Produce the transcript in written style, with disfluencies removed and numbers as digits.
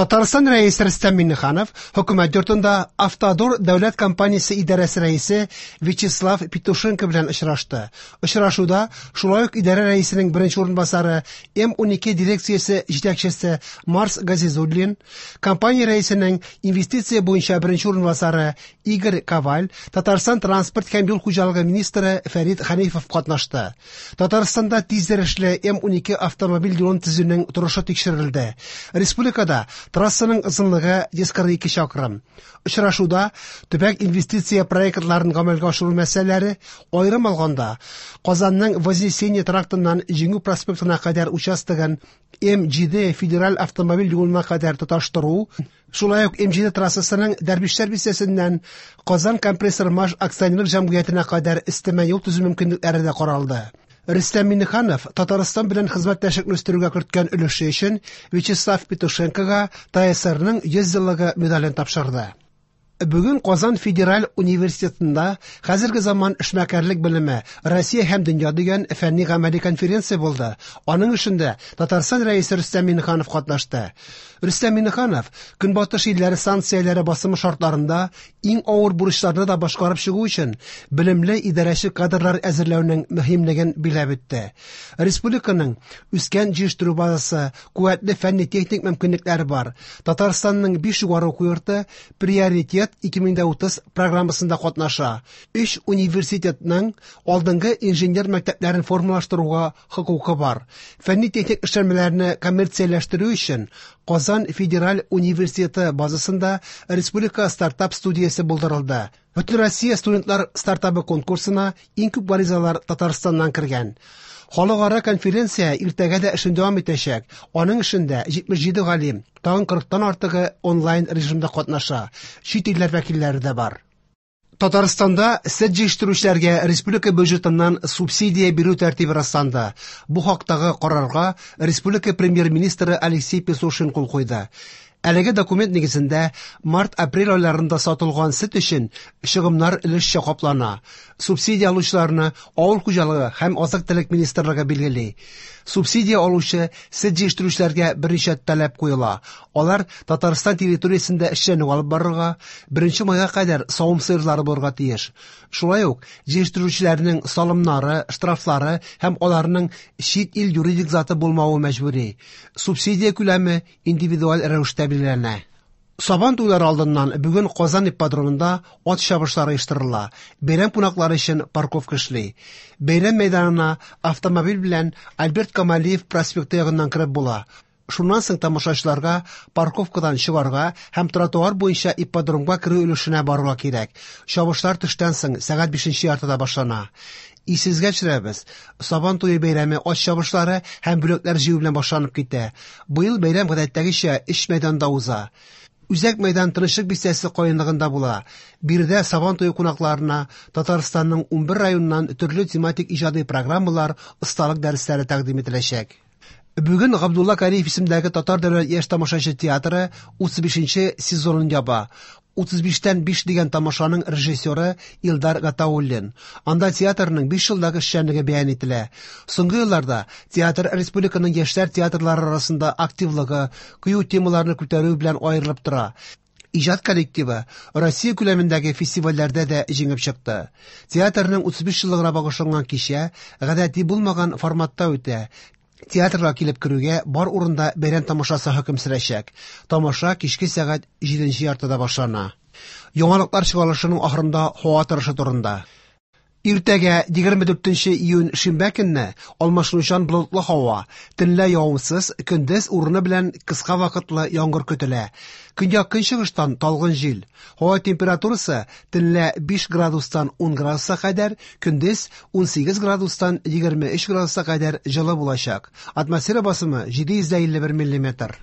Татарстан Рәисе Рөстәм Миңнеханов Хөкүмәт йортында Автодор дәүләт компаниясе идарәсе рәисе Вячеслав Петушенко белән очрашты. Очрашуда шулай ук идарә рәисенең беренче урынбасары, М-12 дирекциясе җитәкчесе Марс Газизуллин, компания рәисенең инвестиция буенча беренче урынбасары Игорь Коваль, Татарстан транспорт һәм юл хуҗалыгы министры Фәрит Хәнифов катнашты. Татарстанда тизйөрешле М-12 автомобиль юлын төзүнең торышы тикшерелде. Республикада трассаның озынлыгы 142 чакрым. Очрашуда төбәк инвестиция проектларын гамәлгә ашыру мәсьәләләре, аерым алганда, Казанның Вознесение трактыннан Җиңү проспектына кадәр участогын М-7 федераль автомобиль юлына кадәр тоташтыру, шулай ук М-7 трассасының Дәрвишләр бистәсеннән Казан компрессор-маш акционерлык җәмгыятенә кадәр өстәмә юл төзү мөмкинлекләре дә каралды. Рөстәм Миңнеханов Татарстан белән хезмәттәшлекне үстерүгә керткән өлеше өчен Вячеслав Петушенкога ТАССРның 100 еллыгы медален тапшырды. Бүген Казан федераль университетында Хәзерге заман эшмәкәрлек белеме, Россия һәм дөнья дигән фәнни-гамәли конференция булды. Аның эшендә Татарстан Рәисе Рөстәм Миңнеханов катнашты. Рөстәм Миңнеханов Көнбатыш илләре санкцияләре басымы шартларында иң авыр бурычларны да башкарып чыгу өчен белемле идарәче кадрлар әзерләүнең мөһимлеген биләп үтте. Республиканың үскән җитештерү базасы, куәтле фәнни-техник мөмкинлекләре бар. Татарстанның 5 югары уку йорты Приоритет 2030 программасында катнаша. Өч университетның алдынгы инженер мәктәпләрен формалаштыруга хокукы бар. Фәнни-техник эшләнмәләрне коммерцияләштерү өчен Казан федераль университеты базасында республика стартап студиясе булдырылды. Бөтенроссия студентлар стартабы конкурсына иң күп гаризалар Татарстаннан кергән. Халыкара конференция иртәгә дә эшен дәвам итәчәк. Аның эшендә 77 галим, тагын 40-тан артыгы онлайн режимда катнаша. Чит илләр вәкилләре дә бар. Татарстанда сөт җитештерүчеләргә республика бюджетыннан субсидия бирү тәртибе расланды. Бу хактагы карарга республика премьер-министры Алексей Песошин кул куйды. Әлеге документ нигезендә март-апрель айларында сатылган сөт өчен чыгымнар өлешчә каплана. Субсидия алучыларны Авыл хуҗалыгы һәм азык-төлек министрлыгы билгели. Субсидия алучы сөт җитештерүчеләргә берничә таләп куела. Алар Татарстан территориясендә эшчәнлек алып барырга, 1 майга кадәр савым сыерлары булырга тиеш. Шулай ук җитештерүчеләрнең салымнары, штрафлары һәм аларның чит ил юридик заты булмавы мәҗбүри. Субсидия күләме индивидуаль рәвештә билгеләнә. Сабан туйлары алдыннан бүген Казан ипподромында ат чабышлары оештырыла. Бәйрәм кунаклары өчен парковка эшли. Бәйрәм мәйданына автомобиль белән Альберт Камалиев проспекты ягыннан кереп була. Шуннан соң тамашачыларга парковкадан чыгарга һәм тротуар буенча ипподромга керү өлешенә барырга кирәк. Чабышлар төштән соң сәгать бишенче яртыда башлана. Исегезгә төшерәбез, Сабан туе бәйрәме ат чабышлары һәм бүләкләр җыю белән башланып китә. Быел бәйрәм гадәттәгечә өч мәйданда уза. Үзәк мәйдан Тынычлык бистәсе каенлыгында була. Биредә Сабан туе кунакларына Татарстанның 11 районыннан төрле тематик иҗади программалар, осталык дәресләре тәкъдим ителәчәк. Бүген Габдулла Кариев исемендәге Татар дәүләт яшь тамашачы театры 35 нче сезонын яба. 35-тән 5 дигән тамашаның режиссеры Илдар Гатауллин. Анда театрның 5 елдагы эшчәнлеге бәян ителә. Соңгы елларда театр республиканың яшьләр театрлары арасында активлыгы, кыю темаларны күтәрүе белән аерылып тора. Иҗат коллективы Россия күләмендәге фестивальләрдә дә җиңеп чыкты. Театрның 35 еллыгына багышланган кичә гадәти булмаган форматта үтә. Театрга килеп керүгә бар урында бәйрәм тамашасы хөкем сөрәчәк. Тамаша кичке сәгать җиденче яртыда башлана. Яңалыклар чыгарылышының ахырында һава торышы турында. Иртәгә, 24 нче июнь шимбә көнне, алмашынучан болытлы һава, төнлә явымсыз, көндез урыны белән кыска вакытлы яңгыр көтелә. Көньяк-көнчыгыштан талгын җил. Һава температурасы төнлә 5 градустан 10 градуска кадәр, көндез 18 градустан 23 градуска кадәр җылы булачак. Атмосфера басымы 751 миллиметр.